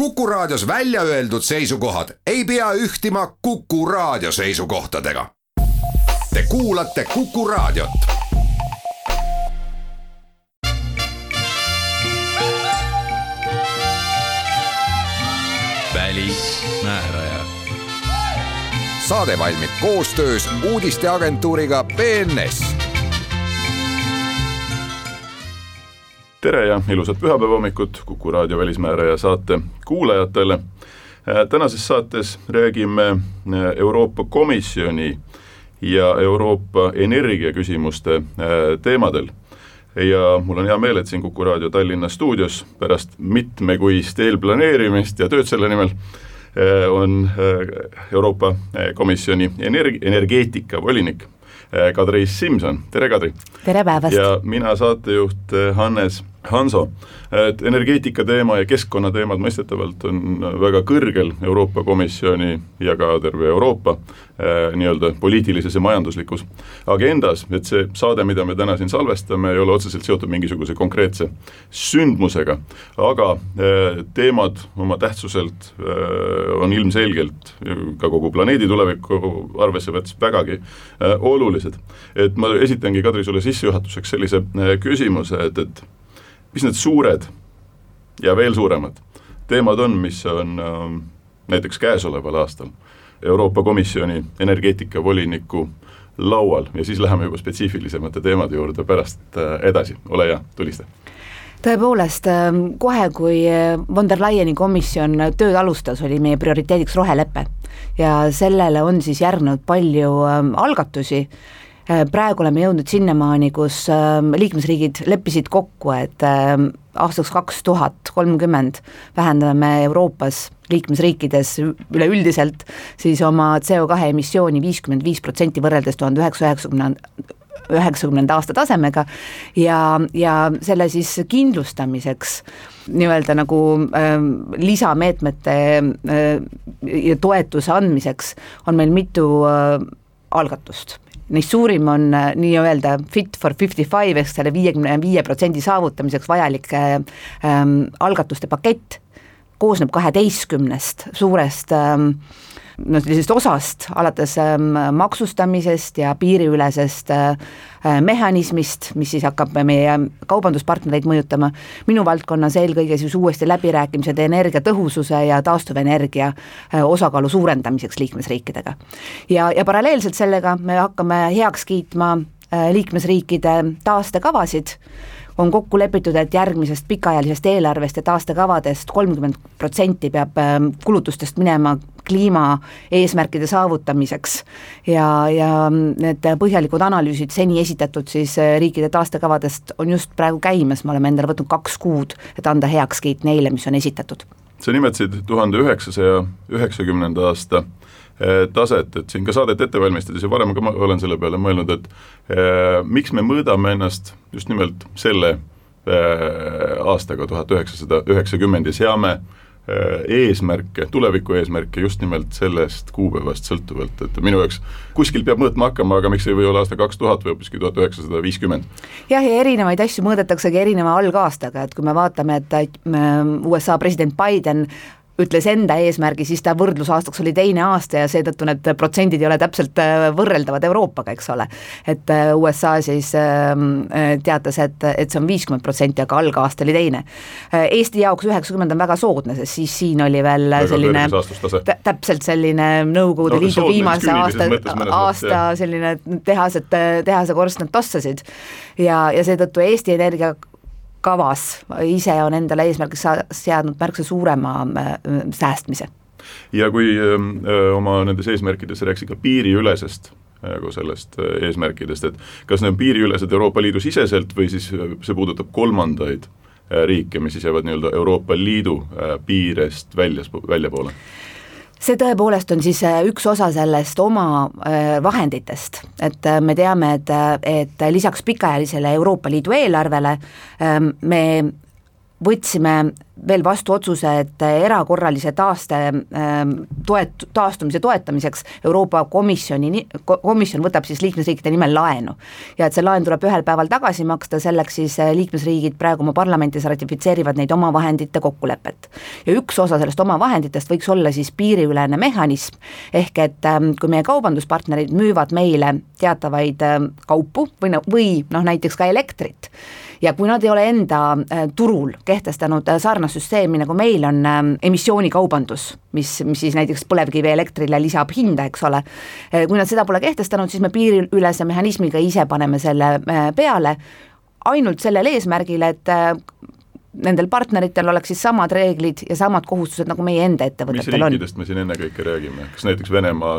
Kuku Raadios välja öeldud seisukohad ei pea ühtima Kuku Raadio seisukohtadega. Te kuulate Kuku Raadiot. Välismääraja. Saade valmib koostöös uudisteagentuuriga BNS. Tere ja ilusat pühapäeva hommikut Kuku Raadio välismääraja saate kuulajatele. Tänases saates räägime Euroopa Komisjoni ja Euroopa energiaküsimuste teemadel. Ja mul on hea meel, et siin Kuku Raadio Tallinna stuudios pärast mitmekuist eelplaneerimist ja tööd selle nimel on Euroopa Komisjoni energeetika volinik Kadri Simson. Tere, Kadri! Tere päevast! Ja mina saatejuht Hannes Hanso. Et energeetika teema ja keskkonna teemad mõistetavalt on väga kõrgel Euroopa Komisjoni ja ka terve Euroopa nii-öelda poliitilises ja majanduslikus agendas, et see saade, mida me täna siin salvestame, ei ole otseselt seotud mingisuguse konkreetse sündmusega, aga teemad oma tähtsuselt on ilmselgelt ka kogu planeedi tulevikku arvesse võttes vägagi olulised. Et ma esitangi, Kadri, sulle sissejuhatuseks sellise küsimuse, et mis need suured ja veel suuremad teemad on, mis on näiteks käesoleval aastal Euroopa Komisjoni energeetikavoliniku laual ja siis läheme juba spetsiifilisemate teemade juurde pärast edasi. Ole hea, tulista. Tõepoolest, kohe kui von der Leyeni komisjon tööd alustas, oli meie prioriteediks roheleppe ja sellele on siis järgnud palju algatusi. Praegu oleme jõudnud sinnamaani, kus liikmesriigid leppisid kokku, et aastaks 2030 vähendame Euroopas liikmesriikides üleüldiselt siis oma CO2 emissiooni 55% võrreldes 1990 aasta tasemega ja selle siis kindlustamiseks nii-öelda nagu lisameetmete ja toetuse andmiseks on meil mitu algatust. Neist suurim on nii-öelda Fit for 55 ehk selle 55% saavutamiseks vajalik algatuste pakett, koosneb 12 suurest sellisest osast, alates maksustamisest ja piiriülesest mehhanismist, mis siis hakkab meie kaubanduspartnereid mõjutama. Minu valdkonnas eelkõige siis uuesti läbirääkimised energiatõhususe ja taastuvenergia osakaalu suurendamiseks liikmesriikidega. Ja paralleelselt sellega me hakkame heaks kiitma liikmesriikide taastekavasid. On kokku lepitud, et järgmisest pikaajalisest eelarvest ja taastekavadest 30% peab kulutustest minema kliima eesmärkide saavutamiseks ja need põhjalikud analüüsid seni esitatud siis riikide taastekavadest on just praegu käimas. Me oleme endale võtnud 2 kuud, et anda heakskiit neile, mis on esitatud. Sa nimetasid 1990. aasta taset, et siin ka saadet ette valmistades ja varem ka ma olen selle peale mõelnud, et miks me mõõdame ennast just nimelt selle aastaga 1990 ja seame eesmärke, tuleviku eesmärke just nimelt sellest kuupäevast sõltuvalt, et minu jaoks kuskil peab mõõtma hakkama, aga miks ei või olla aasta 2000 või hoopiski 1950? Jah, ja erinevaid asju mõõdetaksegi erineva algaastaga, et kui me vaatame, et USA president Biden ütles enda eesmärgi, siis ta võrdlusaastaks oli 2. aasta ja seetõttu need protsendid ei ole täpselt võrreldavad Euroopaga, eks ole. Et USA siis teatas, et see on 50%, aga algaasta oli 2. Eesti jaoks 90 on väga soodne, sest siis siin oli veel selline täpselt selline Nõukogude Liidu viimase aasta selline tehase korstnad tossasid ja seetõttu Eesti Energia kavas ise on endale eesmärgiks seadnud märksa suurema säästmise. Ja kui oma nendes eesmärkides rääksid ka piiriülesest sellest eesmärkidest, et kas need on piiriülesed Euroopa Liidu siseselt või siis see puudutab kolmandaid riike, mis siis jäävad nii-öelda Euroopa Liidu piirest väljapoole? See tõepoolest on siis üks osa sellest oma vahenditest, et me teame, et lisaks pikaajalisele Euroopa Liidu eelarvele me võtsime veel vastu otsuse, et erakorralise taastumise toetamiseks Euroopa Komisjon võtab siis liikmesriikide nimel laenu ja et see laen tuleb ühel päeval tagasi maksta, selleks siis liikmesriigid praegu oma parlamentis ratifitseerivad neid omavahendite kokkulepet. Ja üks osa sellest omavahenditest võiks olla siis piiriülene mehhanism, ehk et kui meie kaubanduspartnerid müüvad meile teatavaid kaupu või näiteks ka elektrit, ja kui nad ei ole enda turul kehtestanud sarnast süsteemi, nagu meil on emissioonikaubandus, mis siis näiteks põlevkivi elektrile lisab hinda, eks ole, kui nad seda pole kehtestanud, siis me piiriülese mehhanismiga ise paneme selle peale, ainult sellel eesmärgil, et nendel partneritel oleks siis samad reeglid ja samad kohustused, nagu meie enda ettevõtetel on. Mis riikidest me siin ennekõike räägime? Kas näiteks Venemaa?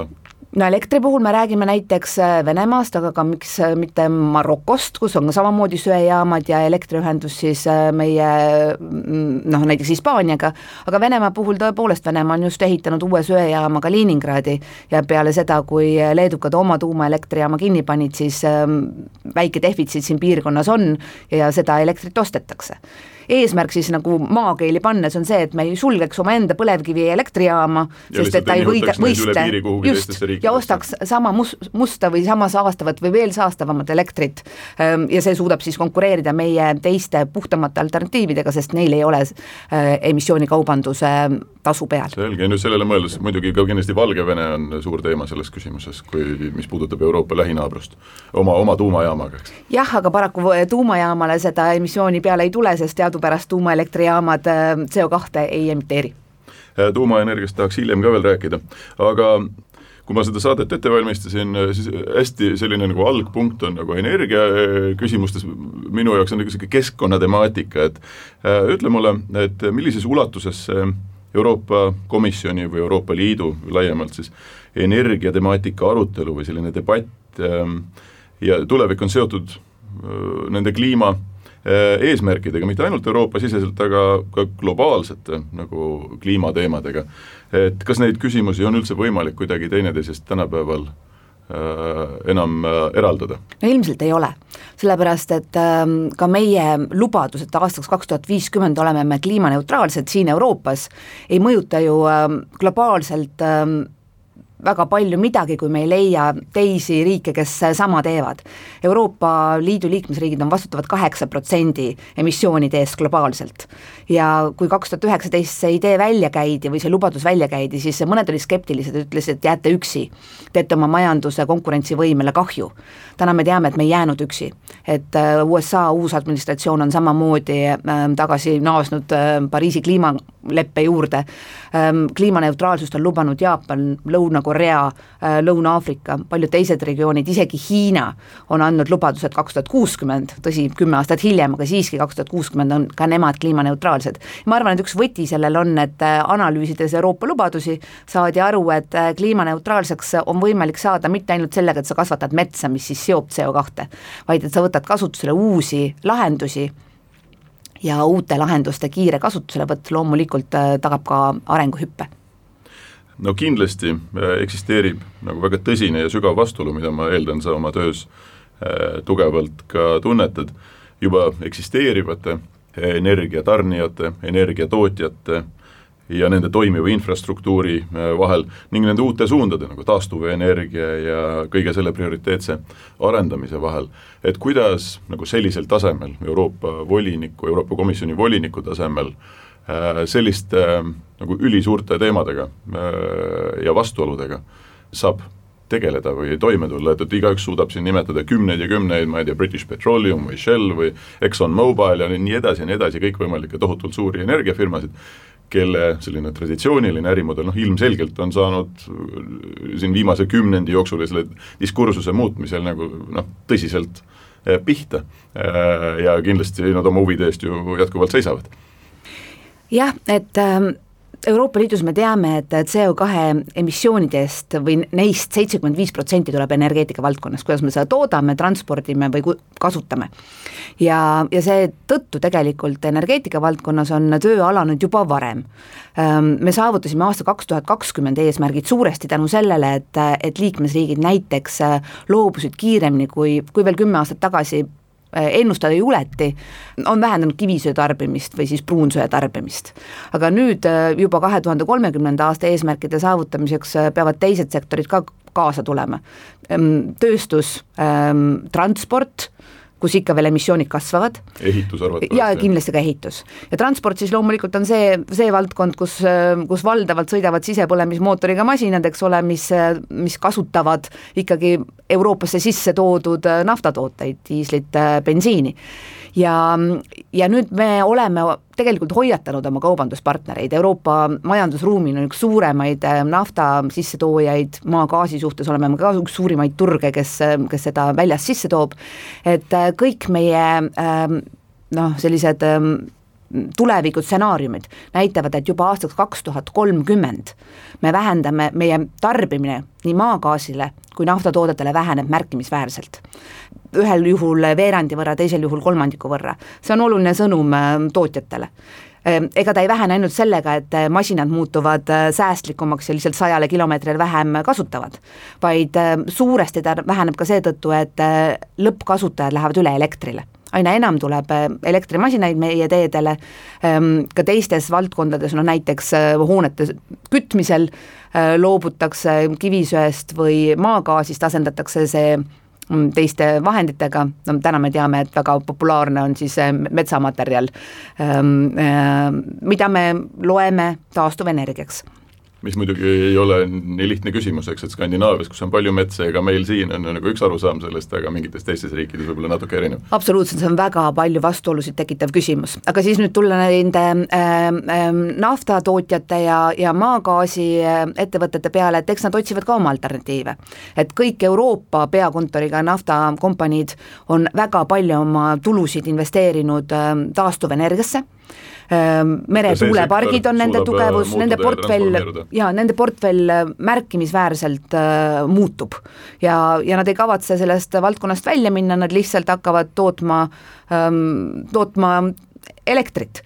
No elektri puhul me räägime näiteks Venemaast, aga ka miks mitte Marokost, kus on ka samamoodi söejaamad ja elektriühendus siis meie näiteks Hispaaniaga, aga Venemaa puhul tõepoolest Venemaa on just ehitanud uue söejaama Kaliningradi ja peale seda, kui leedukad oma tuumaelektrijaama kinni panid, siis väike defitsiit siin piirkonnas on ja seda elektrit ostetakse. Eesmärk siis nagu maakeeli pannes on see, et me ei sulgeks oma enda põlevkivi elektrijaama, sest et ta ei võistle just ja ostaks sama musta või sama saastavat või veel saastavamat elektrit ja see suudab siis konkureerida meie teiste puhtamate alternatiividega, sest neil ei ole emissioonikaubanduse tasu peal. Selge, nüüd sellele mõeldes muidugi ka kindlasti Valgevene on suur teema selles küsimuses, mis puudutab Euroopa lähinaabrust oma tuumajaamaga. Jah, aga paraku tuumajaamale seda emissiooni peale ei tule, sest teadupärast tuumaelektrijaamad CO2 ei emiteeri. Tuumaenergiast tahaks hiljem ka veel rääkida, aga kui ma seda saadet ette valmistasin, siis hästi selline nagu algpunkt on nagu energia küsimustes, minu jaoks on nagu keskkonnatemaatika, et ütle mulle, et millises ulatuses Euroopa Komisjoni või Euroopa Liidu laiemalt siis energiatemaatika arutelu või selline debatt ja tulevik on seotud nende kliima eesmärkidega, mitte ainult Euroopa siseselt, aga ka globaalsete nagu kliimateemadega. Et kas neid küsimusi on üldse võimalik kuidagi teineteisest tänapäeval enam eraldada? No ilmselt ei ole, sellepärast et ka meie lubadus, et aastaks 2050 oleme me kliimaneutraalsed siin Euroopas, ei mõjuta ju globaalselt väga palju midagi, kui me ei leia teisi riike, kes sama teevad. Euroopa Liidu liikmesriigid on vastutavad 8% emissioonide eest globaalselt ja kui 2019 see idee välja käidi või see lubadus välja käidi, siis mõned olid skeptilised, ütlesid, et jääte üksi, teete oma majanduse konkurentsivõimele kahju. Täna me teame, et me ei jäänud üksi, et USA uus administratsioon on samamoodi tagasi naasnud Pariisi kliimaleppe juurde, kliimaneutraalsust on lubanud Jaapan, Lõuna-Korea, Lõuna-Aafrika, paljud teised regioonid, isegi Hiina on andnud lubadused 2060, tõsi 10 aastat hiljem, aga siiski 2060 on ka nemad kliimaneutraalsed. Ma arvan, et üks võti sellel on, et analüüsides Euroopa lubadusi saadi aru, et kliimaneutraalseks on võimalik saada mitte ainult sellega, et sa kasvatad metsa, mis siis seob CO2, vaid et sa võtad kasutusele uusi lahendusi ja uute lahenduste kiire kasutuselevõtt loomulikult tagab ka arenguhüppe. No kindlasti eksisteerib nagu väga tõsine ja sügav vastuolu, mida ma eeldan sa oma töös tugevalt ka tunnetad, juba eksisteerivate energiatarnijate, energiatootjate ja nende toimiva infrastruktuuri vahel ning nende uute suundade nagu taastuvenergia ja kõige selle prioriteetse arendamise vahel. Et kuidas nagu sellisel tasemel Euroopa Komisjoni voliniku tasemel selliste nagu ülisuurte teemadega ja vastuoludega saab tegeleda või toime tulla, et igaüks suudab siin nimetada kümneid ja kümneid, ma ei tea, British Petroleum või Shell või Exxon Mobil ja nii edasi, kõikvõimalikke tohutult suuri energiafirmasid, kelle selline traditsiooniline ärimudel ilmselgelt on saanud siin viimase kümnendi jooksul selle diskursuse muutmisel nagu tõsiselt pihta ja kindlasti nad oma huvide eest ju jätkuvalt seisavad. Jah, et Euroopa Liidus me teame, et CO2 emissioonidest või neist 75% tuleb energeetika valdkonnas, kuidas me seda toodame, transpordime või kasutame. Ja see tõttu tegelikult energeetika valdkonnas on töö alanud juba varem. Me saavutasime aasta 2020 eesmärgid suuresti tänu sellele, et liikmesriigid näiteks loobusid kiiremini, kui veel 10 aastat tagasi ennustada juleti, on vähendanud kivisöe tarbimist või siis pruunsöe tarbimist. Aga nüüd juba 2030. aasta eesmärkide saavutamiseks peavad teised sektorid ka kaasa tulema. Tööstus, transport, kus ikka veel emissioonid kasvavad. Ehitus arvatavasti. Ja kindlasti ka ehitus. Ja transport siis loomulikult on see valdkond, kus valdavalt sõidavad sisepõlemismootoriga masinad, eks ole, mis kasutavad ikkagi Euroopasse sisse toodud naftatooteid, diislit, bensiini. Ja nüüd me oleme tegelikult hoiatanud oma kaubanduspartnereid. Euroopa majandusruumin on üks suuremaid nafta sissetoojaid, maagaasi suhtes oleme ka üks suurimaid turge, kes seda väljas sisse toob, et kõik meie sellised tulevikud stsenaariumid näitavad, et juba aastaks 2030 me vähendame meie tarbimine nii maagaasile kui naftatoodetele väheneb märkimisväärselt. Ühel juhul veerandi võrra, teisel juhul kolmandiku võrra. See on oluline sõnum tootjatele. Ega ta ei vähene ainult sellega, et masinad muutuvad säästlikumaks ja lihtsalt 100 kilomeetril vähem kasutavad, vaid suuresti ta väheneb ka seetõttu, et lõppkasutajad lähevad üle elektrile. Aina enam tuleb elektrimasinaid meie teedele, ka teistes valdkondades, näiteks hoonete kütmisel loobutakse kivisöest või maagaasist, asendatakse see teiste vahenditega, täna me teame, et väga populaarne on siis metsamaterjal, mida me loeme taastuvenergiaks. Mis muidugi ei ole nii lihtne küsimus, eks, et Skandinaavias, kus on palju metsa, ega meil siin on nagu üks arusaam sellest, aga mingites teistes riikides võib-olla natuke erinev. Absoluutselt, see on väga palju vastuolusid tekitav küsimus, aga siis nüüd tulla nende naftatootjate ja maagaasi ettevõtete peale, et eks nad otsivad ka oma alternatiive. Et kõik Euroopa peakontoriga naftakompaniid on väga palju oma tulusid investeerinud taastuvenergiasse, meretuulepargid on nende tugevus, nende portfell märkimisväärselt muutub ja nad ei kavatse sellest valdkonnast välja minna, nad lihtsalt hakkavad tootma elektrit.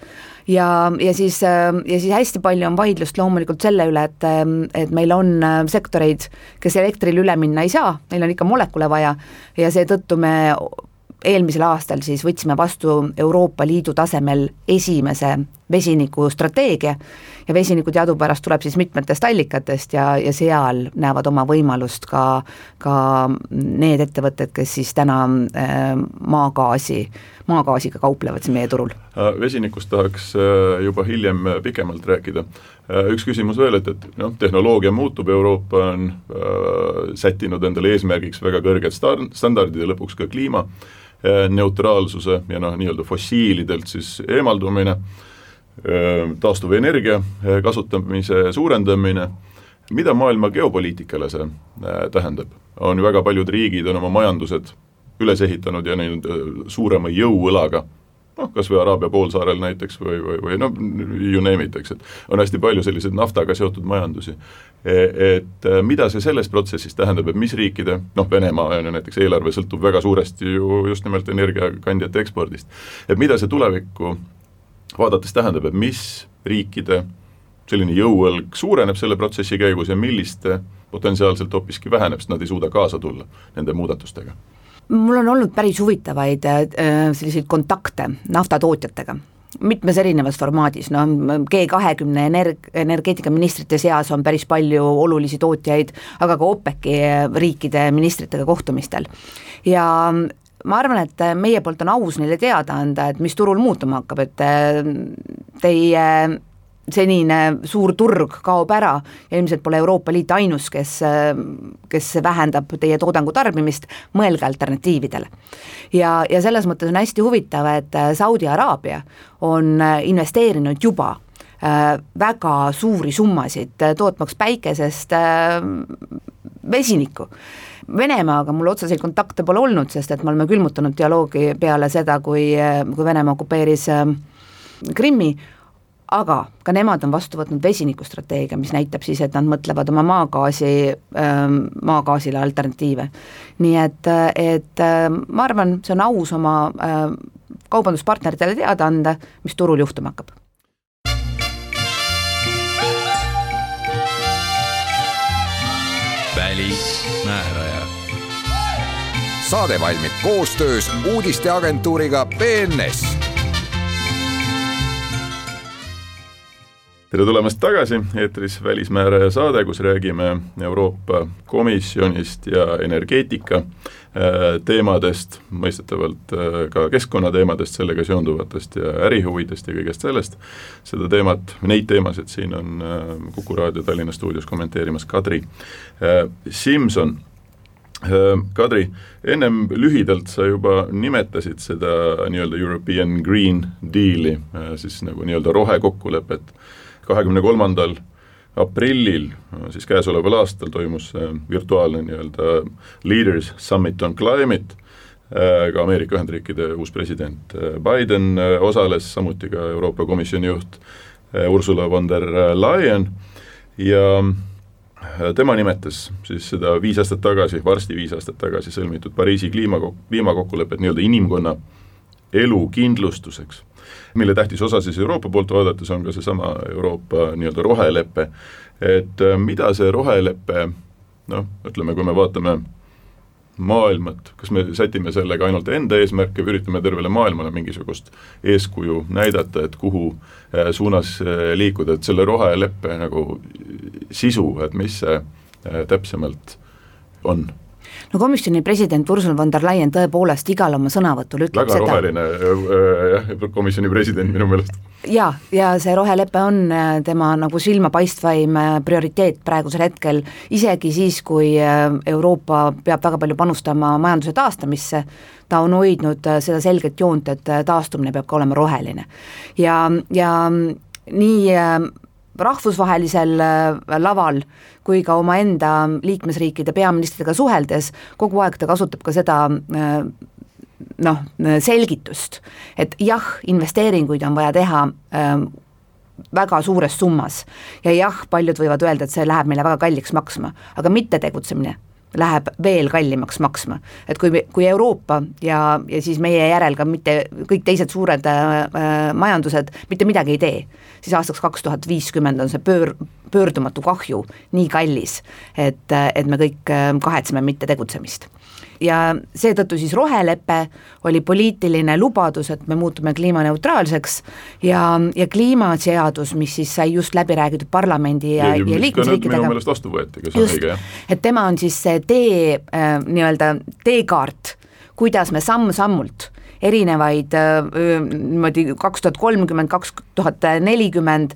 Ja siis hästi palju on vaidlust loomulikult selle üle, et meil on sektoreid, kes elektril üle minna ei saa, meil on ikka molekule vaja ja seetõttu me eelmisel aastal siis võtsime vastu Euroopa Liidu tasemel esimese vesinikustrateegia ja vesinikku teadupärast tuleb siis mitmetest allikatest ja seal näevad oma võimalust ka need ettevõtted, kes siis täna maagaasiga kauplevad meie turul. Vesinikust tahaks juba hiljem pikemalt rääkida. Üks küsimus veel, et tehnoloogia muutub, Euroopa on sättinud endale eesmärgiks väga kõrged standardid ja lõpuks ka kliima neutraalsuse ja nii-öelda fossiilidelt siis eemaldumine, taastuvenergia kasutamise suurendamine. Mida maailma geopoliitikale see tähendab? On ju väga paljud riigid on oma majandused üles ehitanud ja suurema jõuõlaga, kas või Araabia poolsaarel näiteks või you name it, eks, et on hästi palju selliseid naftaga seotud majandusi. Et mida see selles protsessis tähendab, et mis riikide, Venemaa näiteks eelarve sõltub väga suuresti ju just nimelt energiakandjate ekspordist, et mida see tulevikku vaadates tähendab, et mis riikide selline jõuõlg suureneb selle protsessi käigus ja milliste potentsiaalselt hoopiski väheneb, sest nad ei suuda kaasa tulla nende muudatustega? Mul on olnud päris huvitavaid selliseid kontakte naftatootjatega, mitmes erinevas formaadis, G20 energeetikaministrite seas on päris palju olulisi tootjaid, aga ka OPEC-i riikide ministritega kohtumistel. Ja ma arvan, et meie poolt on aus neile teada anda, et mis turul muutuma hakkab, et teie senine suur turg kaob ära ja ilmselt pole Euroopa Liit ainus, kes vähendab teie toodangu tarbimist, mõelge alternatiividele. Ja selles mõttes on hästi huvitav, et Saudi Araabia on investeerinud juba väga suuri summasid tootmaks päikesest vesinikku. Venemaaga mul otseseid kontakte pole olnud, sest et me oleme külmutanud dialoogi peale seda, kui Venemaa okupeeris Krimmi, aga ka nemad on vastu võtnud vesinikustrateegia, mis näitab siis, et nad mõtlevad oma maagaasile alternatiive. Nii et ma arvan, see on aus oma kaubanduspartneritele teada anda, mis turul juhtuma hakkab. Välismääraja. saade valmib koostöös uudisteagentuuriga BNS. Tere tulemast tagasi, eetris Välismääraja saade, kus räägime Euroopa Komisjonist ja energeetika teemadest, mõistetavalt ka keskkonnateemadest, sellega seonduvatest ja ärihuvidest ja kõigest sellest. Seda teemat, neid teemasid siin on Kuku Raadio Tallinna stuudios kommenteerimas Kadri Simson. Kadri, ennem lühidalt sa juba nimetasid seda nii-öelda European Green Deali, siis nagu nii-öelda rohekokkulepet. 23. aprillil, siis käesoleval aastal toimus virtuaalne nii-öelda Leaders Summit on Climate, ka Ameerika Ühendriikide uus president Biden osales, samuti ka Euroopa Komisjoni juht Ursula von der Leyen ja tema nimetas siis seda 5 aastat tagasi, varsti 5 aastat tagasi sõlmitud Pariisi kliimakokkulepet nii-öelda inimkonna elu kindlustuseks, mille tähtis osa siis Euroopa poolt vaadates on ka seesama Euroopa nii-öelda roheleppe, et mida see roheleppe, ütleme, kui me vaatame maailmat, kas me sätime sellega ainult enda eesmärke või üritame tervele maailmale mingisugust eeskuju näidata, et kuhu suunas liikuda, et selle roheleppe nagu sisu, et mis see täpsemalt on? No komisjoni president Ursula von der Leyen tõepoolest igal oma sõnavõtul ütleb väga roheline komisjoni president minu meelest. Ja see rohelepe on tema nagu silmapaistvaim prioriteet praegusel hetkel, isegi siis, kui Euroopa peab väga palju panustama majanduse taastamisse, ta on hoidnud seda selget joont, et taastumine peab ka olema roheline. Ja nii rahvusvahelisel laval kui ka oma enda liikmesriikide peaministritega suheldes, kogu aeg ta kasutab ka seda selgitust, et jah, investeeringuid on vaja teha väga suures summas ja jah, paljud võivad öelda, et see läheb meile väga kalliks maksma, aga mitte tegutsemine läheb veel kallimaks maksma. Et kui Euroopa ja siis meie järel ka mitte kõik teised suured majandused mitte midagi ei tee, siis aastaks 2050 on see pöördumatu kahju nii kallis, et me kõik kahetseme mitte tegutsemist. Ja seetõttu siis rohelepe oli poliitiline lubadus, et me muutume kliimaneutraalseks ja kliimaseadus, mis siis sai just läbi räägitud parlamendi ja liikmesriikidega. Minu meelest vastu võeti, kas on õige, jah? Et tema on siis see nii-öelda teekaart, kuidas me samm-sammult erinevaid 2030, 2040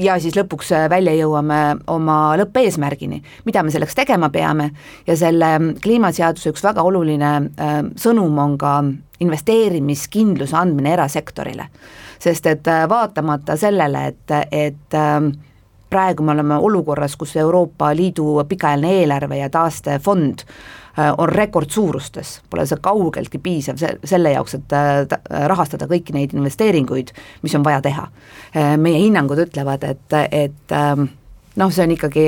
ja siis lõpuks välja jõuame oma lõppeesmärgini, mida me selleks tegema peame ja selle kliimaseaduse üks väga oluline sõnum on ka investeerimiskindluse andmine erasektorile, sest et vaatamata sellele, et praegu me oleme olukorras, kus Euroopa Liidu pikaajaline eelarve ja taastefond on rekordsuurustes, pole see kaugeltki piisav selle jaoks, et rahastada kõiki neid investeeringuid, mis on vaja teha. Meie hinnangud ütlevad, et see on ikkagi,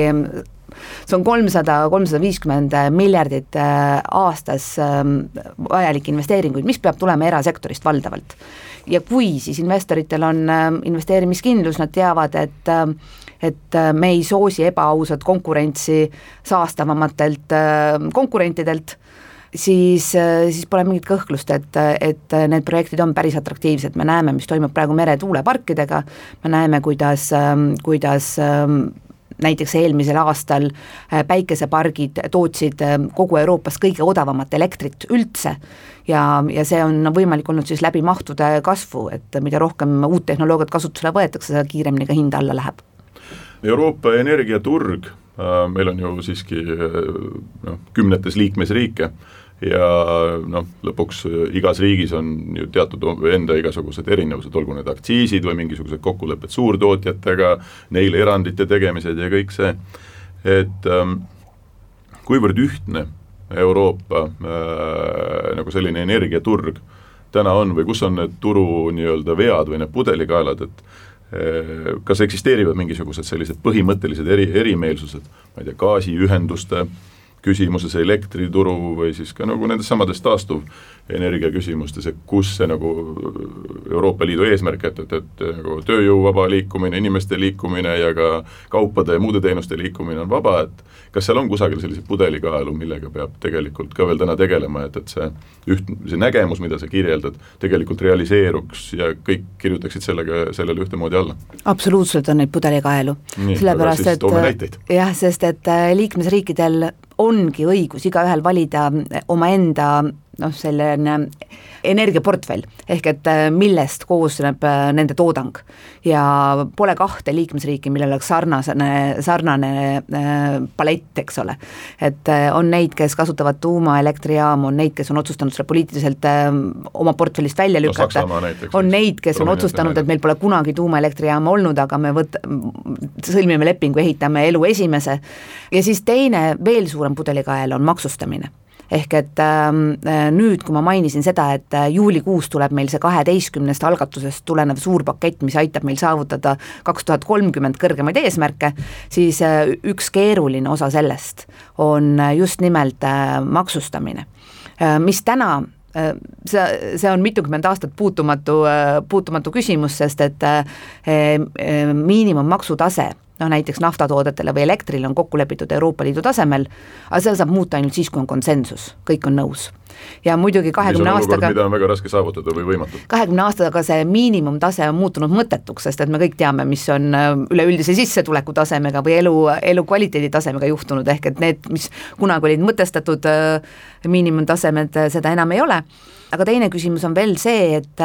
see on 300-350 miljardit aastas vajalik investeeringuid, mis peab tulema erasektorist valdavalt. Ja kui siis investoritel on investeerimiskindlus, nad teavad, et me ei soosi ebaausat konkurentsi saastavamatelt konkurentidelt, siis pole mingit kõhklust, et need projektid on päris atraktiivsed. Me näeme, mis toimub praegu meretuuleparkidega, me näeme, kuidas näiteks eelmisel aastal päikesepargid tootsid kogu Euroopas kõige odavamat elektrit üldse ja see on võimalik olnud siis läbi mahtude kasvu, et mida rohkem uut tehnoloogiat kasutusele võetakse, seda kiiremini ka hind alla läheb. Euroopa energiaturg, meil on ju siiski kümnetes liikmesriike ja lõpuks igas riigis on ju teatud enda igasugused erinevused, olgu need aktsiisid või mingisugused kokkulepped suurtootjatega, neile erandite tegemised ja kõik see, et kuivõrd ühtne Euroopa nagu selline energiaturg täna on või kus on need turu nii-öelda vead või need pudelikaelad, et kas eksisteerivad mingisugused sellised põhimõttelised erimeelsused, ma ei tea, gaasiühenduste küsimuses elektrituru või siis ka nagu nendes samades taastuvenergia küsimustes, et kus see nagu Euroopa Liidu eesmärk, et nagu tööjõu vaba liikumine, inimeste liikumine ja ka kaupade ja muude teenuste liikumine on vaba, et kas seal on kusagil sellise pudelikaelu, millega peab tegelikult ka veel täna tegelema, et see nägemus, mida sa kirjeldad, tegelikult realiseeruks ja kõik kirjutaksid sellele ühtemoodi alla? Absoluutselt on neid pudelikaelu. Sellepärast, et sest et liikmesriikidel ongi õigus igaühel valida omaenda selline energiaportfell, ehk et millest koosneb nende toodang. Ja pole kahte liikmesriiki, millel oleks sarnane palett, eks ole. Et on neid, kes kasutavad tuumaelektrijaamu, on neid, kes on otsustanud selle poliitiliselt oma portfellist välja lükata, on neid, kes on otsustanud, et meil pole kunagi tuumaelektrijaama olnud, aga me sõlmime lepingu, ehitame elu esimese. Ja siis teine veel suurem pudelikael on maksustamine. Ehk et nüüd, kui ma mainisin seda, et juulikuus tuleb meil see 12 algatusest tulenev suur pakett, mis aitab meil saavutada 2030 kõrgemaid eesmärke, siis üks keeruline osa sellest on just nimelt maksustamine, mis täna see on mitukümmend aastat puutumatu küsimus, sest et miinimummaksutase näiteks naftatoodetele või elektrile on kokku lepitud Euroopa Liidu tasemel, aga seda saab muuta ainult siis, kui on konsensus, kõik on nõus. Ja muidugi 20 aastaga, mida on väga raske saavutada või võimatu. 20 aastaga see miinimumtase on muutunud mõttetuks, sest et me kõik teame, mis on üleüldise sissetuleku tasemega või elu kvaliteedi tasemega juhtunud, ehk et need, mis kunagi olid mõtestatud miinimumtasemed, seda enam ei ole. Aga teine küsimus on veel see, et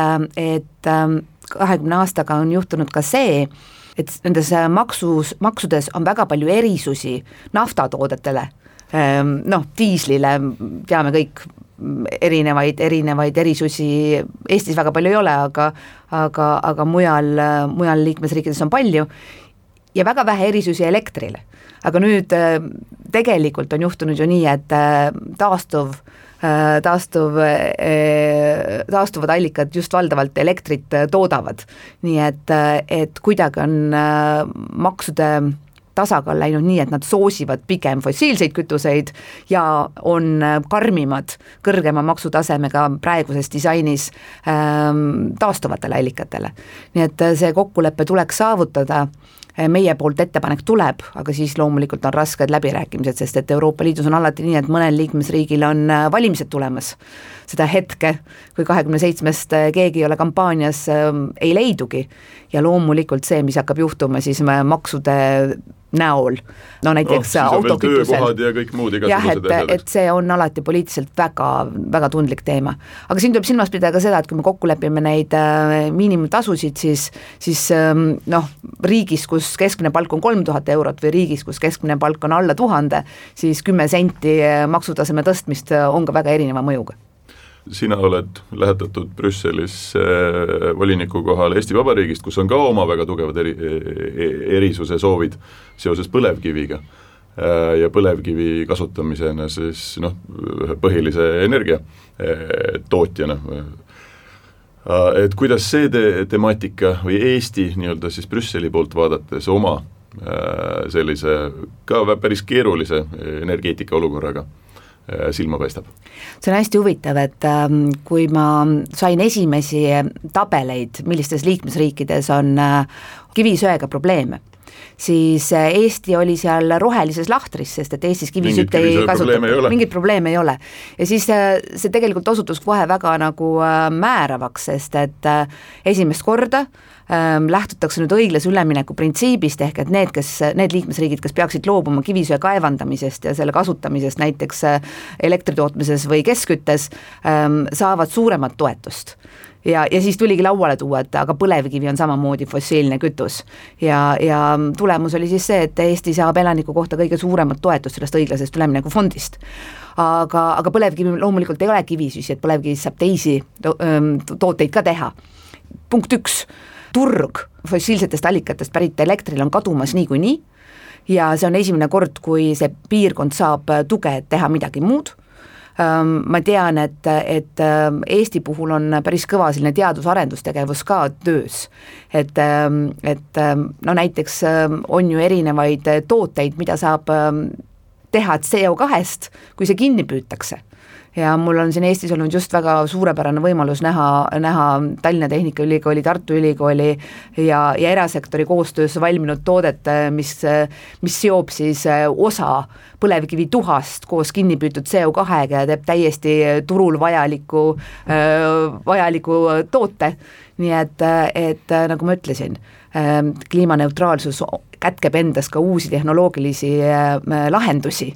20 aastaga on juhtunud ka see, et nendes maksudes on väga palju erisusi naftatoodetele, diislile teame kõik erinevaid erisusi, Eestis väga palju ei ole, aga mujal liikmesriikides on palju ja väga vähe erisusi elektrile. Aga nüüd tegelikult on juhtunud ju nii, et taastuvad allikad just valdavalt elektrit toodavad, nii et kuidagi on maksude tasakaal läinud nii, et nad soosivad pigem fossiilseid kütuseid ja on karmimad kõrgema maksutasemega praeguses disainis taastuvatele allikatele. Nii et see kokkulepe tuleks saavutada, meie poolt ettepanek tuleb, aga siis loomulikult on rasked läbirääkimised, sest et Euroopa Liidus on alati nii, et mõnel liikmesriigil on valimised tulemas. Seda hetke, kui 27-st keegi ei ole kampaanias, ei leidugi ja loomulikult see, mis hakkab juhtuma siis maksude näol, näiteks autokütusel. Ja kõik muud et see on alati poliitiliselt väga, väga tundlik teema. Aga siin tuleb silmas pidada ka seda, et kui me kokku lepime neid miinimumtasusid, siis riigis, kus keskmine palk on 3000 eurot või riigis, kus keskmine palk on alla 1000, siis 10 senti maksutaseme tõstmist on ka väga erineva mõjuga. Sina oled lähetatud Brüsselis voliniku kohale Eesti Vabariigist, kus on ka oma väga tugevad erisuse soovid seoses põlevkiviga ja põlevkivi kasutamisena siis põhilise energia tootjana. Et kuidas see temaatika või Eesti nii-öelda siis Brüsseli poolt vaadates oma sellise ka päris keerulise energeetika olukorraga silma paistab? See on hästi huvitav, et kui ma sain esimesi tabeleid, millistes liikmesriikides on kivisöega probleeme, siis Eesti oli seal rohelises lahtris, sest et Eestis kivisütt ei kasuta, mingit probleeme ei ole. Ja siis see tegelikult osutus kohe väga nagu määravaks, sest et esimest korda lähtutakse nüüd õiglase ülemineku printsiibist, ehk et need liikmesriigid, kes peaksid loobuma kivisöe kaevandamisest ja selle kasutamisest näiteks elektritootmises või keskküttes, saavad suuremat toetust. Ja siis tuligi lauale tuua, et aga põlevkivi on samamoodi fossiilne kütus ja tulemus oli siis see, et Eesti saab elaniku kohta kõige suuremat toetust sellest õiglasest ülemineku fondist. Aga põlevkivi loomulikult ei ole kivisüsi, et põlevkivist saab teisi tooteid ka teha. Punkt 1. Turg fossiilsetest allikatest pärit elektril on kadumas niikuinii ja see on esimene kord, kui see piirkond saab tuge, et teha midagi muud. Ma tean, et Eesti puhul on päris kõva selline teadus-arendustegevus ka töös, et näiteks on ju erinevaid tooteid, mida saab teha CO2-st, kui see kinni püütakse. Ja mul on siin Eestis olnud just väga suurepärane võimalus näha Tallinna Tehnikaülikooli, Tartu Ülikooli ja erasektori koostöös valminud toodet, mis seob siis osa põlevkivi tuhast koos kinnipüütud CO2-ga ja teeb täiesti turul vajaliku toote. Nii et nagu ma ütlesin, kliimaneutraalsus kätkeb endas ka uusi tehnoloogilisi lahendusi,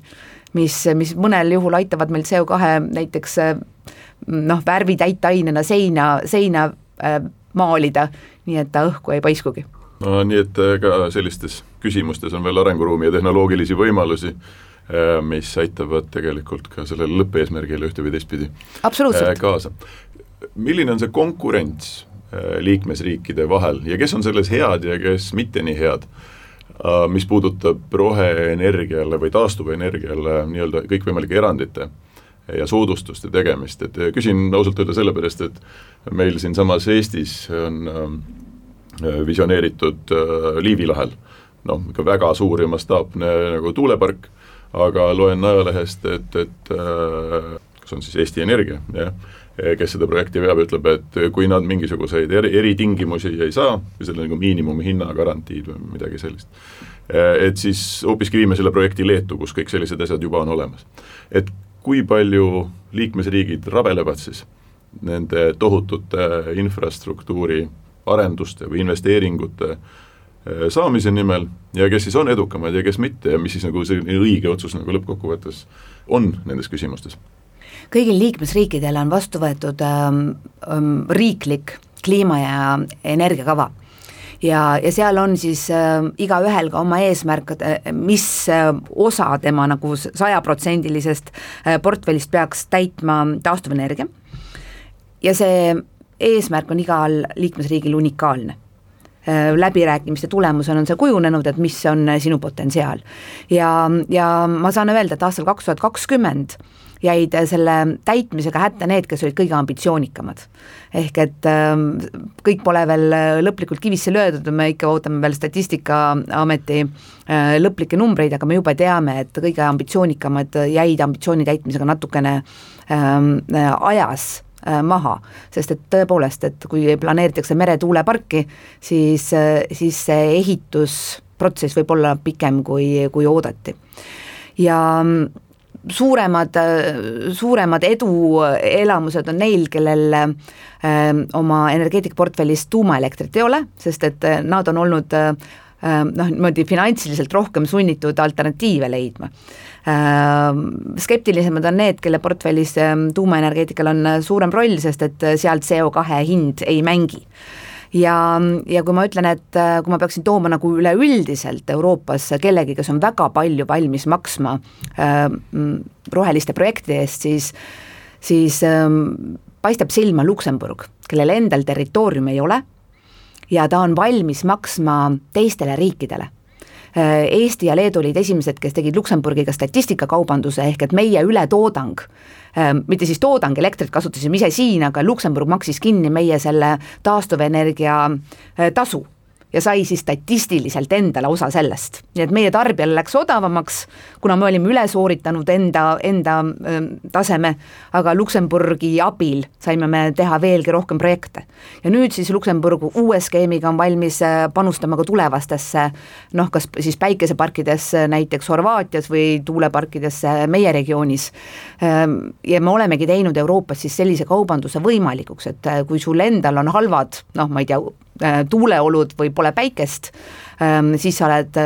mis mõnel juhul aitavad meil CO2 näiteks värvi täitainena seina maalida, nii et ta õhku ei paiskugi. No, nii et ka sellistes küsimustes on veel arenguruumi ja tehnoloogilisi võimalusi, mis aitavad tegelikult ka sellele lõppeesmärgile ühte või teistpidi kaasa. Milline on see konkurents liikmesriikide vahel ja kes on selles head ja kes mitte nii head? Mis puudutab roheenergiale või taastuvenergiale nii-öelda kõikvõimalike erandite ja soodustuste tegemist, et küsin ausalt öelda sellepärast, et meil siin samas Eestis on visioneeritud Liivi lahel, ikka väga suur ja mastaapne nagu tuulepark, aga loen ajalehest, et kas on siis Eesti Energia, kes seda projekti veab, ütleb, et kui nad mingisuguseid eritingimusi ei saa, või selle nagu miinimumhinna garantiid või midagi sellist, et siis hoopiski viime selle projekti Leetu, kus kõik sellised asjad juba on olemas. Et kui palju liikmesriigid rabelevad siis nende tohutute infrastruktuuri arenduste või investeeringute saamise nimel ja kes siis on edukamad ja kes mitte ja mis siis nagu see õige otsus nagu lõppkokkuvõttes on nendes küsimustes? Kõigil liikmesriikidel on vastu võetud riiklik kliima- ja energiakava ja seal on siis igaühel ka oma eesmärk, mis osa tema nagu 100% portfellist peaks täitma taastuvenergia ja see eesmärk on igal liikmesriigil unikaalne. Läbirääkimiste tulemusena on see kujunenud, et mis on sinu potentsiaal ja ma saan öelda, et aastal 2020 jäid selle täitmisega hätta need, kes olid kõige ambitsioonikamad. Ehk et kõik pole veel lõplikult kivisse löödud, me ikka ootame veel Statistikaameti lõplikke numbreid, aga me juba teame, et kõige ambitsioonikamad jäid ambitsiooni täitmisega natukene ajas maha, sest et tõepoolest, et kui planeeritakse meretuuleparki, siis see ehitusprotsess võib olla pikem kui oodati. Ja suuremad eduelamused on neil, kellel oma energeetikaportfellis tuumaelektrit ei ole, sest et nad on olnud niimoodi finantsiliselt rohkem sunnitud alternatiive leidma. Skeptilisemad on need, kelle portfellis tuumaenergeetikal on suurem roll, sest et sealt CO2 hind ei mängi. Ja kui ma ütlen, et kui ma peaksin tooma nagu üleüldiselt Euroopas kellegi, kes on väga palju valmis maksma roheliste projektide eest, siis paistab silma Luksemburg, kellel endal territoorium ei ole ja ta on valmis maksma teistele riikidele. Eesti ja Leedu olid esimesed, kes tegid Luksemburgiga statistikakaubanduse ehk et meie ületoodang, mitte siis toodang, elektrit kasutasime ise siin, aga Luksemburg maksis kinni meie selle taastuvenergia tasu ja sai siis statistiliselt endale osa sellest. Nii et meie tarbijale läks odavamaks, kuna me olime üle sooritanud enda taseme, aga Luksemburgi abil saime me teha veelgi rohkem projekte. Ja nüüd siis Luksemburg uue skeemiga on valmis panustama ka tulevastesse, kas siis päikeseparkidesse näiteks Horvaatias või tuuleparkidesse meie regioonis. Ja me olemegi teinud Euroopas siis sellise kaubanduse võimalikuks, et kui sul endal on halvad, ma ei tea, tuuleolud või pole päikest, siis sa oled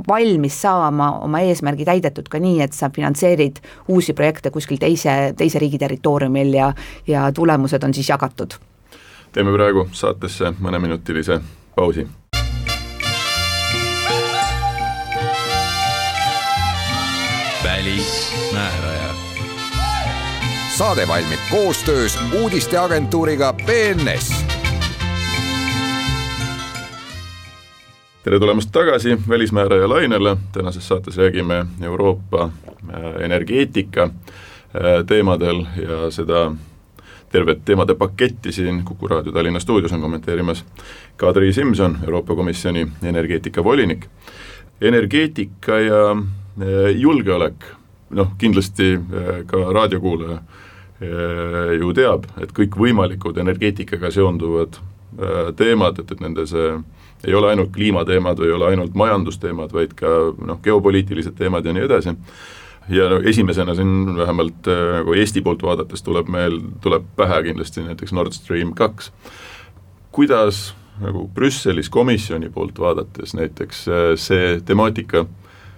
valmis saama oma eesmärgi täidetud ka nii, et sa finantseerid uusi projekte kuskil teise riigi territooriumil ja tulemused on siis jagatud. Teeme praegu saatesse mõneminutilise pausi. Välismääraja. Saade valmib koostöös uudisteagentuuriga BNS. Tere tulemast tagasi välismääraja lainele, tänases saates räägime Euroopa energeetika teemadel ja seda tervet teemade paketti siin Kuku Raadio Tallinna stuudios on kommenteerimas Kadri Simson, Euroopa Komisjoni energeetikavolinik. Energeetika ja julgeolek, kindlasti ka raadiokuulaja ju teab, et kõik võimalikud energeetikaga seonduvad teemad, et nende see ei ole ainult kliimateemad või ei ole ainult majandusteemad, vaid ka geopoliitilised teemad ja nii edasi. Ja esimesena siin vähemalt nagu Eesti poolt vaadates tuleb pähe kindlasti näiteks Nord Stream 2. Kuidas nagu Brüsselis komisjoni poolt vaadates näiteks see temaatika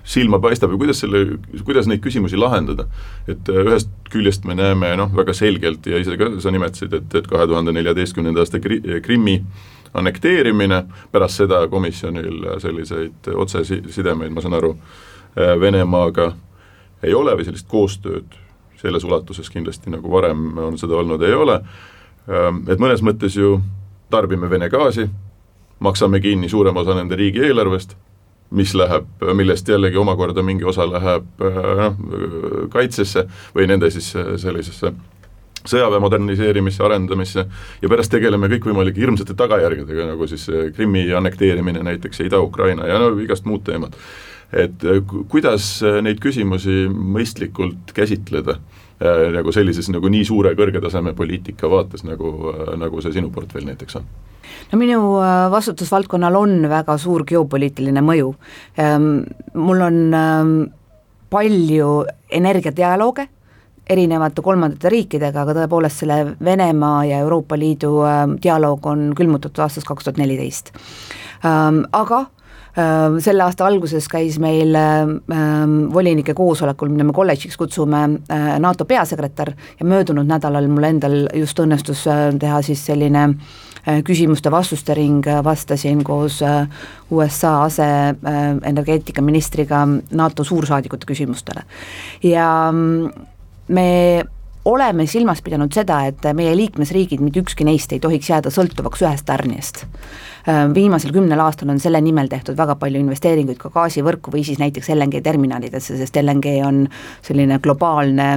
silma paistab ja kuidas neid küsimusi lahendada. Et ühest küljest me näeme väga selgelt ja ise ka sa nimetasid, et 2014. aasta Krimmi annekteerimine, pärast seda komisjonil selliseid otsesidemeid, ma saan aru, Venemaaga ei ole või sellist koostööd selles ulatuses kindlasti nagu varem on seda olnud, ei ole. Et mõnes mõttes ju tarbime Vene gaasi, maksame kinni suurema osa nende riigi eelarvest, millest jällegi omakorda mingi osa läheb kaitsesse või nende siis sellisesse sõjaväe moderniseerimisse, arendamisse ja pärast tegeleme kõikvõimalike hirmsate tagajärgedega, nagu siis Krimmi annekteerimine näiteks ja Ida-Ukraina ja igast muud teemad. Et kuidas neid küsimusi mõistlikult käsitleda nagu sellises nagu nii suure kõrgetaseme poliitika vaates, nagu see sinu portfell näiteks on? Minu vastutusvaldkonnal on väga suur geopoliitiline mõju. Mul on palju energiadialooge erinevate kolmandate riikidega, aga tõepoolest selle Venemaa ja Euroopa Liidu dialoog on külmutatud aastast 2014. Aga selle aasta alguses käis meil volinike koosolekul, mida me kolledžiks kutsume, NATO peasekretär ja möödunud nädalal mul endal just õnnestus teha siis selline küsimuste-vastuste ring, vastasin koos USA aseenergeetikaministriga NATO suursaadikute küsimustele. Ja me oleme silmas pidanud seda, et meie liikmesriigid, mitte ükski neist ei tohiks jääda sõltuvaks ühest tarnijast. Viimasel 10 aastal on selle nimel tehtud väga palju investeeringuid ka gaasivõrku või siis näiteks LNG terminalidesse, sest LNG on selline globaalne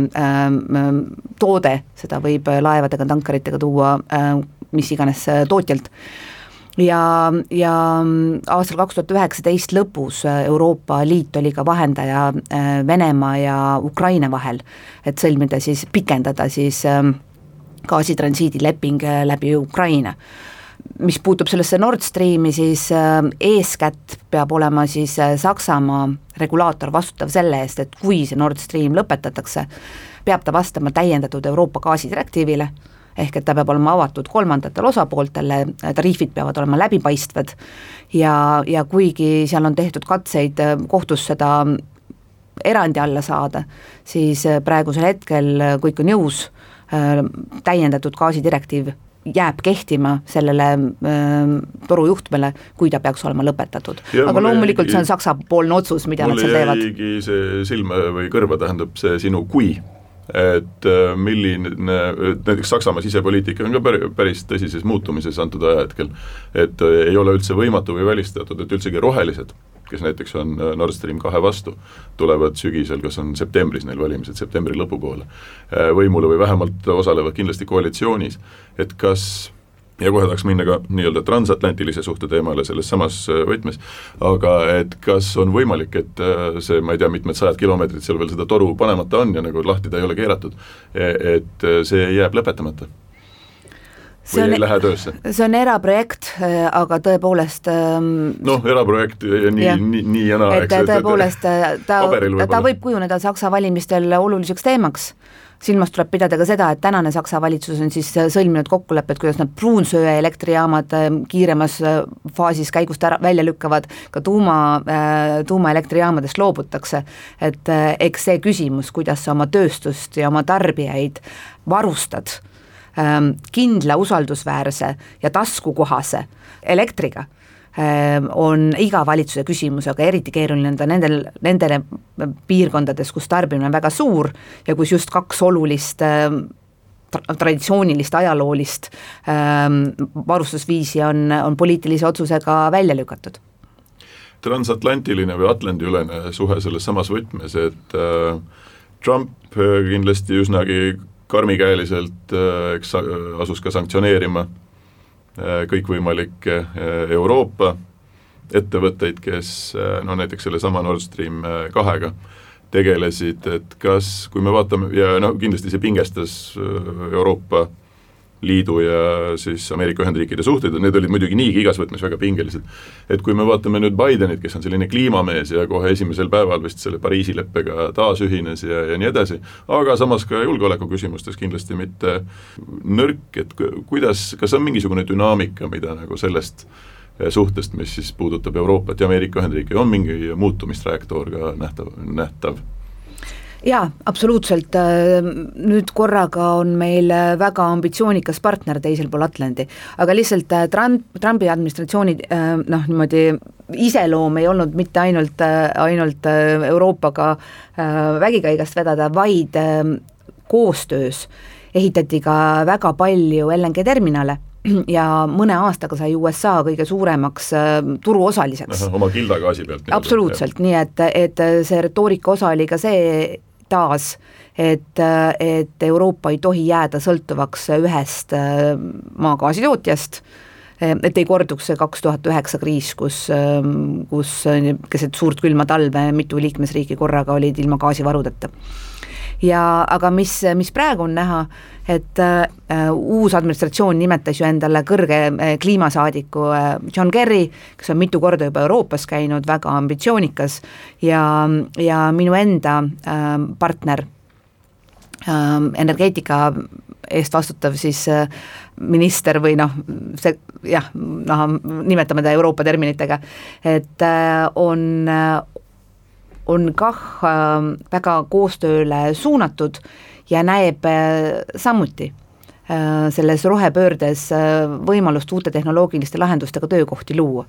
toode, seda võib laevadega, tankaritega tuua mis iganes tootjalt. Ja aastal 2019 lõpus Euroopa Liit oli ka vahendaja Venemaa ja Ukraina vahel, et sõlmida siis, pikendada siis gaasitransiidileping läbi Ukraina. Mis puutub sellesse Nord Streami, siis eeskätt peab olema siis Saksamaa regulaator vastutav selle eest, et kui see Nord Stream lõpetatakse, peab ta vastama täiendatud Euroopa gaasidirektiivile, ehk et ta peab olema avatud kolmandatele osapooltele, tariifid peavad olema läbipaistvad ja kuigi seal on tehtud katseid kohtus seda erandi alla saada, siis praegusel hetkel kõik on jõus, täiendatud gaasidirektiiv jääb kehtima sellele torujuhtmele, kui ta peaks olema lõpetatud. Aga loomulikult see on Saksa poolne otsus, mida nad seal teevad. Mulle jäigi see silma või kõrva tähendab see sinu kui, et milline, näiteks Saksamaa sisepoliitika on ka päris tõsises muutumises antud ajahetkel, et ei ole üldse võimatu või välistatud, et üldsegi rohelised, kes näiteks on Nord Stream 2 vastu, tulevad sügisel, kas on septembris neil valimised, septembri lõpupoole võimule või vähemalt osalevad kindlasti koalitsioonis, et kas, ja kohe tahaks minna ka nii-öelda transatlantilise suhte teemale selles samas võtmes, aga et kas on võimalik, et see, ma ei tea, mitmed 100 kilomeetrit seal veel seda toru panemata on ja nagu lahti ta ei ole keeratud, et see jääb lõpetamata? Või ei lähe töösse? See on eraprojekt, aga tõepoolest eraprojekt nii ja naa, eks. Tõepoolest, ta võib kujuneda Saksa valimistel oluliseks teemaks. Silmas tuleb pidada ka seda, et tänane Saksa valitsus on siis sõlminud kokkulepped, kuidas nad pruunsöe elektrijaamad kiiremas faasis käigust välja lükkavad, ka tuumaelektrijaamadest loobutakse. Et eks see küsimus, kuidas sa oma tööstust ja oma tarbijaid varustad kindla, usaldusväärse ja taskukohase elektriga, on iga valitsuse küsimus, aga eriti keeruline on nendele piirkondades, kus tarbimine on väga suur ja kus just kaks olulist traditsioonilist, ajaloolist varustusviisi on poliitilise otsusega välja lükatud. Transatlantiline või Atlandi-ülene suhe selles samas võtmes, et Trump kindlasti üsnagi karmikäeliselt asus ka sanktsioneerima kõikvõimalikke Euroopa ettevõtteid, kes no näiteks selle sama Nord Stream 2-ga tegelesid, et kas, kui me vaatame, ja no kindlasti see pingestas Euroopa Liidu ja siis Ameerika Ühendriikide suhted, need olid muidugi niigi igas võtmes väga pingelised. Et kui me vaatame nüüd Bidenit, kes on selline kliimamees ja kohe esimesel päeval vist selle Pariisi leppega taas ühines ja nii edasi, aga samas ka julgeoleku küsimustes kindlasti mitte nõrk, et kuidas, kas on mingisugune dünaamika, mida nagu sellest suhtest, mis siis puudutab Euroopat ja Ameerika Ühendriike, on mingi muutumistrajektoor ka nähtav? Jaa, absoluutselt, nüüd korraga on meil väga ambitsioonikas partner teisel pool Atlandi, aga lihtsalt Trumpi administratsiooni niimoodi iseloom ei olnud mitte ainult Euroopaga vägikäigast vedada, vaid koostöös ehitati ka väga palju LNG terminale ja mõne aastaga sai USA kõige suuremaks turuosaliseks. Oma kildagaasi pealt. Absoluutselt, nii et see retoorika osa oli ka see taas, et Euroopa ei tohi jääda sõltuvaks ühest maagaasitootjast, et ei korduks see 2009 kriis, kus keset suurt külma talve mitu liikmesriiki korraga olid ilma gaasivarudeta. Aga mis praegu on näha, et uus administratsioon nimetas ju endale kõrge kliimasaadiku John Kerry, kes on mitu korda juba Euroopas käinud, väga ambitsioonikas ja minu enda partner, energeetika eest vastutav siis minister või nimetame ta Euroopa terminitega, et on kah väga koostööle suunatud ja näeb samuti selles rohepöördes võimalust uute tehnoloogiliste lahendustega töökohti luua.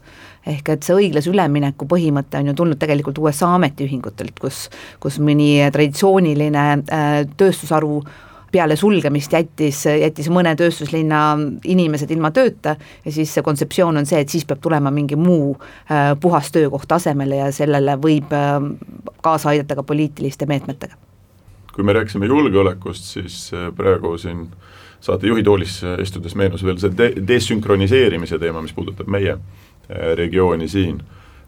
Ehk et see õiglase ülemineku põhimõte on ju tulnud tegelikult USA ametiühingutelt, kus mõni traditsiooniline tööstusharu peale sulgemist jättis mõne tööstuslinna inimesed ilma tööta ja siis see kontseptsioon on see, et siis peab tulema mingi muu puhas töökoht asemele ja sellele võib kaasa aidata ka poliitiliste meetmetega. Kui me rääkisime julgeolekust, siis praegu siin saate juhitoolis istudes meenus veel see desünkroniseerimise teema, mis puudutab meie regiooni siin,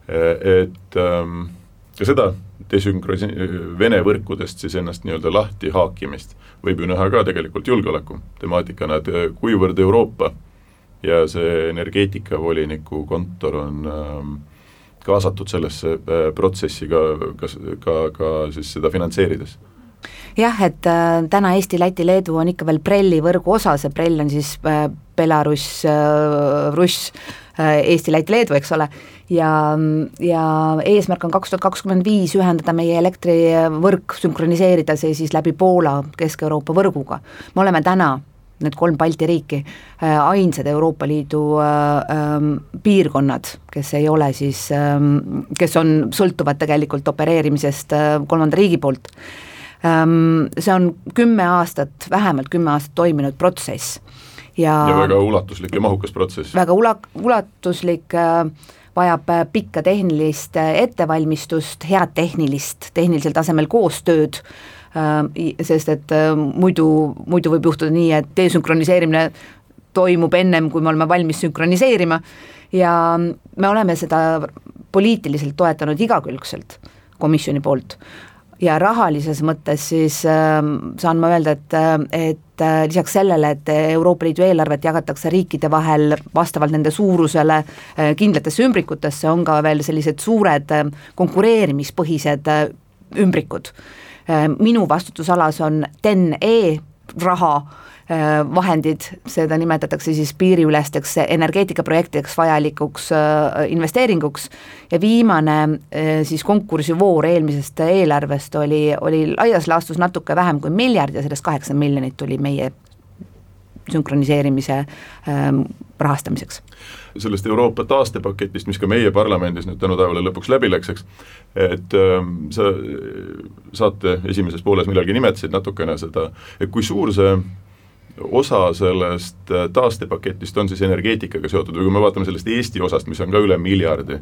et ja seda Vene võrkudest siis ennast nii-öelda lahti haakimist võib ju näha ka tegelikult julgeoleku temaatikana, et kuivõrd Euroopa ja see energeetikavoliniku kontor on kaasatud sellesse protsessi ka siis seda finantseerides. Jah, et täna Eesti, Läti, Leedu on ikka veel Prelli võrgu osa, see Prell on siis Belarus, Russ, Eesti, Läti, Leedu, eks ole, ja eesmärk on 2025 ühendada meie elektrivõrk, sünkroniseerida see siis läbi Poola Kesk-Euroopa võrguga. Me oleme täna, need 3 Balti riiki, ainsad Euroopa Liidu piirkonnad, kes ei ole siis, kes on sõltuvad tegelikult opereerimisest 3. riigi poolt. See on 10 aastat, vähemalt 10 aastat toiminud protsess. Ja väga ulatuslik ja mahukas protsess. Väga ulatuslik, vajab pikka tehnilist ettevalmistust, head tehnilisel tasemel koostööd, sest et muidu võib juhtuda nii, et desünkroniseerimine toimub ennem, kui me oleme valmis sünkroniseerima ja me oleme seda poliitiliselt toetanud igakülgselt komisjoni poolt. Ja rahalises mõttes siis saan ma öelda, et lisaks sellele, et Euroopa Liidu eelarvet jagatakse riikide vahel vastavalt nende suurusele kindlatesse ümbrikutesse, on ka veel sellised suured konkureerimispõhised ümbrikud. Minu vastutusalas on TEN-E raha vahendid, seda nimetatakse siis piiriülesteks energeetikaprojektideks vajalikuks investeeringuks ja viimane siis konkursivoor eelmisest eelarvest oli laias laastus natuke vähem kui 1 miljard ja sellest 8 miljonit tuli meie sünkroniseerimise rahastamiseks. Sellest Euroopa taastepaketist, mis ka meie parlamendis nüüd tänu taevale lõpuks läbi läkseks, et sa saate esimeses pooles millalgi nimetasid natukene seda, et kui suur see osa sellest taastepaketist on siis energeetikaga seotud või kui me vaatame sellest Eesti osast, mis on ka üle 1 miljardi,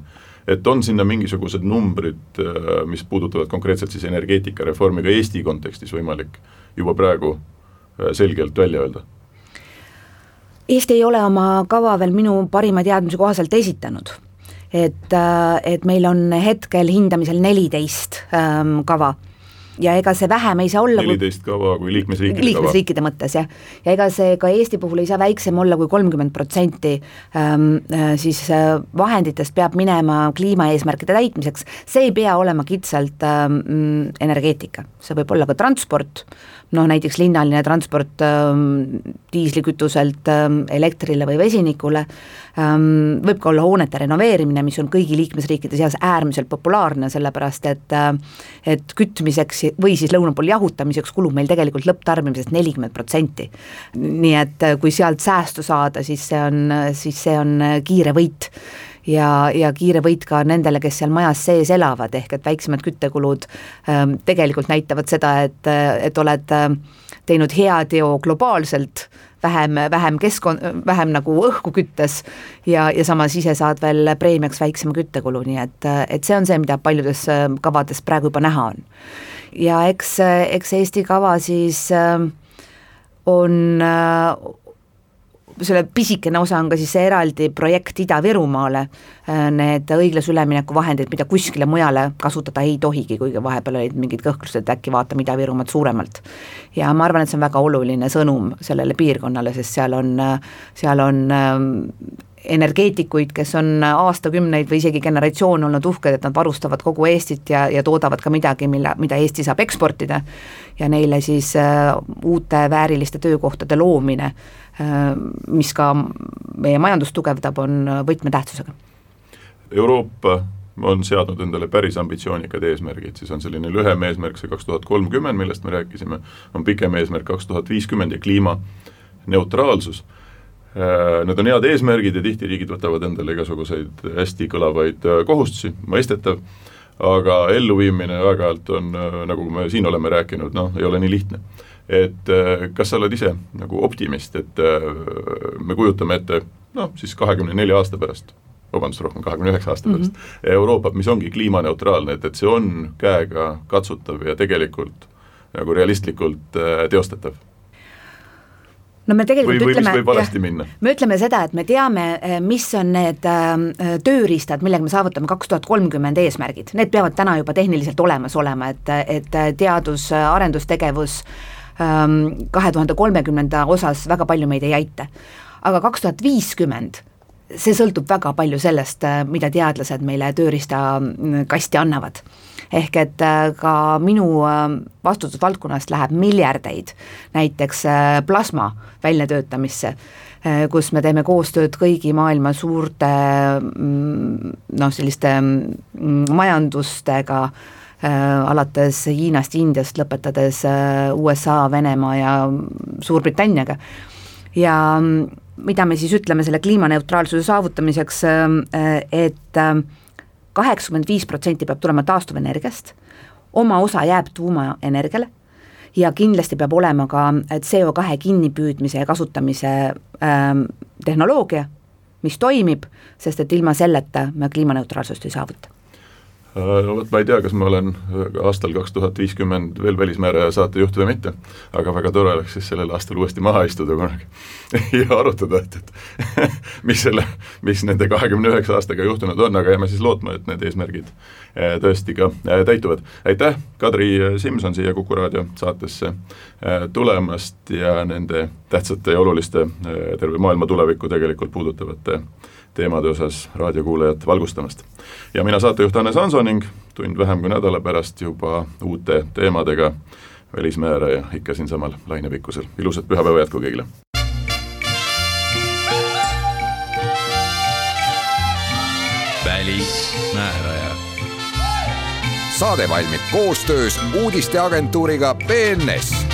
et on sinna mingisugused numbrid, mis puudutavad konkreetselt siis energeetikareformiga Eesti kontekstis võimalik juba praegu selgelt välja öelda? Eesti ei ole oma kava veel minu parima teadmise kohaselt esitanud et meil on hetkel hindamisel 14 kava. Ja ega see vähem ei saa olla 14 kava kui liikmesriikide mõttes, jah. Ja ega see ka Eesti puhul ei saa väiksem olla kui 30% siis vahenditest peab minema kliimaeesmärkide täitmiseks. See ei pea olema kitsalt energeetika, see võib olla ka transport, näiteks linnaline transport diislikütuselt elektrile või vesinikule, võib ka olla hoonete renoveerimine, mis on kõigi liikmesriikide seas äärmiselt populaarne, sellepärast et kütmiseks või siis lõuna pool jahutamiseks kulub meil tegelikult lõpptarbimisest 40%. Nii et kui sealt säästu saada, siis see on kiire võit. Ja kiire võit ka nendele, kes seal majas sees elavad, ehk et väiksemad küttekulud tegelikult näitavad seda, et oled teinud hea teo globaalselt, vähem nagu õhku küttes ja samas ise saad veel preemiaks väiksema küttekulu, nii et see on see, mida paljudes kavades praegu juba näha on. Ja eks Eesti kava siis on selle pisikene osa on ka siis see eraldi projekt Ida-Virumaale, need õiglase ülemineku vahendid, mida kuskile mujale kasutada ei tohigi, kuigi vahepeal olid mingid kõhklused, et äkki vaatame Ida-Virumaad suuremalt. Ja ma arvan, et see on väga oluline sõnum sellele piirkonnale, sest seal on energeetikuid, kes on aastakümneid või isegi generatsioon olnud uhked, et nad varustavad kogu Eestit ja toodavad ka midagi, mida Eesti saab eksportida ja neile siis uute vääriliste töökohtade loomine, mis ka meie majandust tugevdab, on võtmetähtsusega. Euroopa on seadnud endale päris ambitsioonikad eesmärgid, siis on selline lühem eesmärk see 2030, millest me rääkisime, on pikem eesmärk 2050 ja kliimaneutraalsus. Need on head eesmärgid ja tihti riigid võtavad endale igasuguseid hästi kõlavaid kohustusi, mõistetav, aga elluviimine väga-alt on, nagu me siin oleme rääkinud, ei ole nii lihtne. Et kas sa oled ise nagu optimist, et me kujutame ette, siis 24 aasta pärast, rohkem 29 aasta pärast, Euroopa, mis ongi kliimaneutraalne, et see on käega katsutav ja tegelikult nagu realistlikult teostatav. No me tegelikult me ütleme seda, et me teame, mis on need tööriistad, millega me saavutame 2030 eesmärgid. Need peavad täna juba tehniliselt olemas olema, et teadus- arendustegevus 2030 osas väga palju meid ei aita. Aga 2050 see sõltub väga palju sellest, mida teadlased meile tööriista kasti annavad. Ehk et ka minu vastutusvaldkonnast läheb miljardeid näiteks plasma väljatöötamisse, kus me teeme koostööd kõigi maailma suurte selliste majandustega, alates Hiinast, Indiast, lõpetades USA, Venemaa ja Suurbritanniaga. Ja mida me siis ütleme selle kliimaneutraalsuse saavutamiseks, et 85% peab tulema taastuvenergiast, oma osa jääb tuumaenergiale ja kindlasti peab olema ka CO2 kinnipüüdmise ja kasutamise tehnoloogia, mis toimib, sest et ilma selleta me kliimaneutraalsust ei saavuta. Ma ei tea, kas ma olen aastal 2050 veel välismääraja saatejuht või mitte, aga väga tore oleks siis sellel aastal uuesti maha istuda kunagi ja arutada, et mis nende 29 aastaga juhtunud on, aga jääme siis lootma, et need eesmärgid tõesti ka täituvad. Aitäh, Kadri Simson, siia Kuku Raadio saatesse tulemast ja nende tähtsate ja oluliste terve maailma tulevikku tegelikult puudutavate teemade osas raadiokuulajat valgustamast. Ja mina saatejuht Hannes Hanso ning tund vähem kui nädala pärast juba uute teemadega välismääraja ikka siin samal lainepikkusel. Ilusat pühapäeva jätku kõigile! Välismääraja. Saade valmib koostöös uudisteagentuuriga BNS.